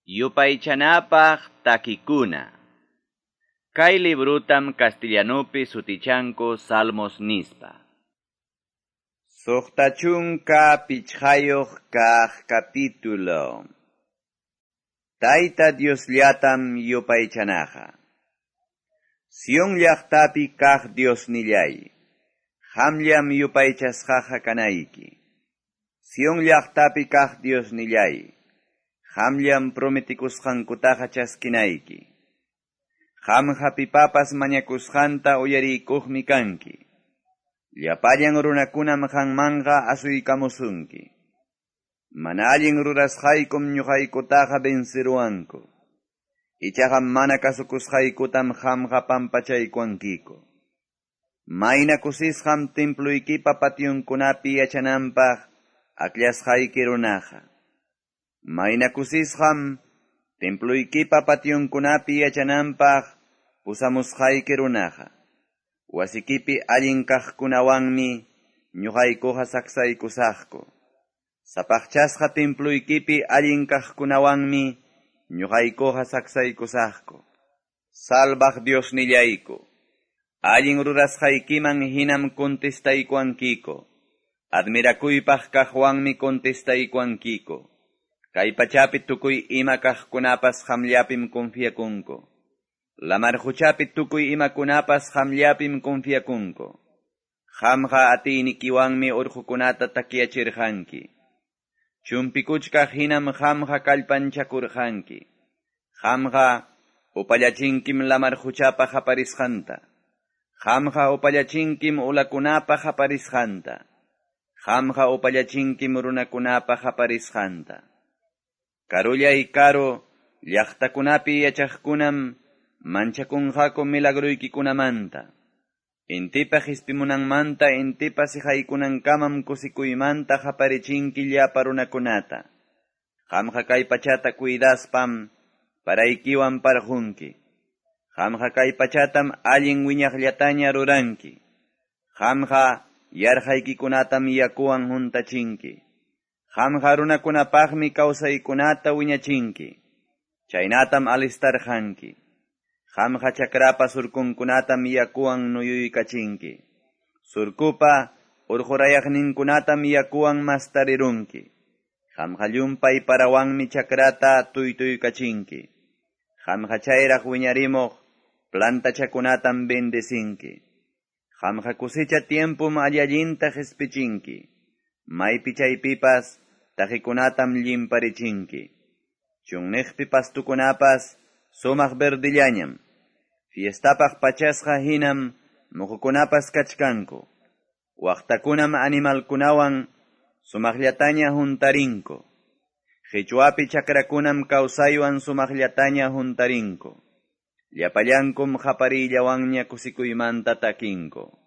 Yupaychanapaq takikuna. Kay librutam castellanupi sutichanku Salmos nispa. 65 kaq capítulo. Tayta Diosllatam yupaychanaqa. Sion llaqtapi kaq Diosnillay, qamllam yupaychasqaqa kanayki. Sion llaqtapi kaq Diosnillay, qamllam prometikusqankutaqa chaskinayki. Qamqa pipapas mañakusqanta uyariykuqmi kanki. Llapallan runakunam qanmanqa asuykamusunki. Mana allin rurasqaykum ñuqaykutaqa venceruwanku. Ichaqa mana kasukusqaykutam qamqa pampachaykuwankiku. Mayna kusisqam temploykipa pationkunapi yachananpaq akllasqayki runaqa. Mayna kusisqam temploykipa pationkunapi yachananpaq pusamusqayki runaqa. Wasikipi allin kaqkunawanmi ñuqaykuqa saksaykusaqku. Sapaqchasqa temploykipi allin kaqkunawanmi ñuqaykuqa saksaykusaqku. Salvaq Diosnillayku, allin rurasqaykiman hinam contestaykuwankiku. Admirakuypaq kaqwanmi contestaykuwankiku. Kay pachapi tukuy ima kaqkunapas qamllapim confiakunku. Lamar quchapi tukuy imakunapas qamllapim confiakunku. Qamqa atiynikiwanmi urqukunata takyachirqanki. Chumpikuchkaq hinam qamqa kallpanchakurqanki. Qamqa upallachinkim lamar quchapa qaparisqanta. Qamqa upallachinkim ulakunapa qaparisqanta. Qamqa upallachinkim runakunapa qaparisqanta. Karullay karu llaqtakunapi yachaqkunam manchakunqaku milagruykikunamanta. Intipa qispimunanmanta intipa siqaykunankamam kusikuymanta qaparichinki llapa runakunata. Qamqa kay pachata cuidaspam paraykiwan parqunki. Qamqa kay pachatam allin wiñaqllataña ruranki. Qamqa yarqaykikunatam yakuwan huntachinki. Qamqa runakunapaqmi kawsaykunata wiñachinki. Chaynatam alistarqanki. Qamqa chakrapa surkunkunatam yakuwan nuyuykachinki. Surkupa urqurayaqninkunatam yakuwan mastarirunki. Qamqa llumpay parawanmi chakrata tuytuykachinki. Qamqa chayraq wiñarimuq plantachakunatam bendecinki. Qamqa kusicha tiempum allallinta qispichinki. Maypi chaypipas taqikunatam llimparichinki. Chunniqpi pastukunapas sumaq verdillañam. Fiestapaq pachasqa hinam muqukunapas kachkanku. Waqtakunam animalkunawan sumaqllataña huntarinku. Qichwapi chakrakunam kawsaywan sumaqllataña huntarinku. Llapallankum qapariyllawanña kusikuymanta takinku.